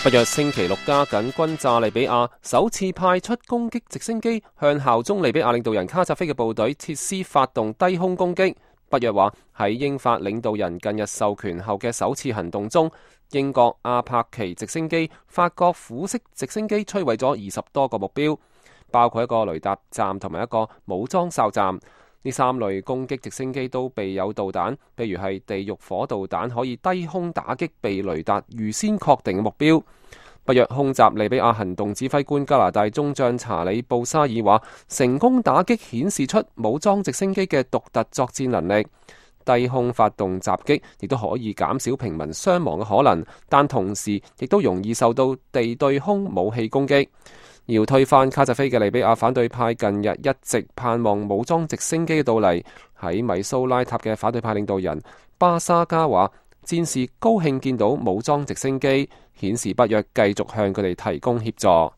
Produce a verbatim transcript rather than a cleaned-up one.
北約星期六加緊轟炸利比亞，首次派出攻擊直升機向效忠利比亞領導人卡扎菲嘅部隊設施發動低空攻擊。北約話喺英法領導人近日授權後嘅首次行動中，英國阿帕奇直升機、法國虎式直升機摧毀咗二十多個目標，包括一個雷達站同埋一個武裝哨站。呢三類攻擊直升機都備有導彈，譬如係地獄火導彈，可以低空打擊被雷達預先確定嘅目標。北約空襲利比亞行動指揮官加拿大中將查理布沙爾話，成功打擊顯示出武裝直升機嘅獨特作戰能力。低空發動襲擊亦都可以減少平民傷亡嘅可能，但同時亦都容易受到地對空武器攻擊。要推翻卡扎菲嘅利比亞反對派近日一直盼望武裝直升機嘅到嚟。喺米蘇拉塔嘅反對派領導人巴沙加話，戰士高興見到武裝直升機，顯示北約繼續向佢哋提供協助。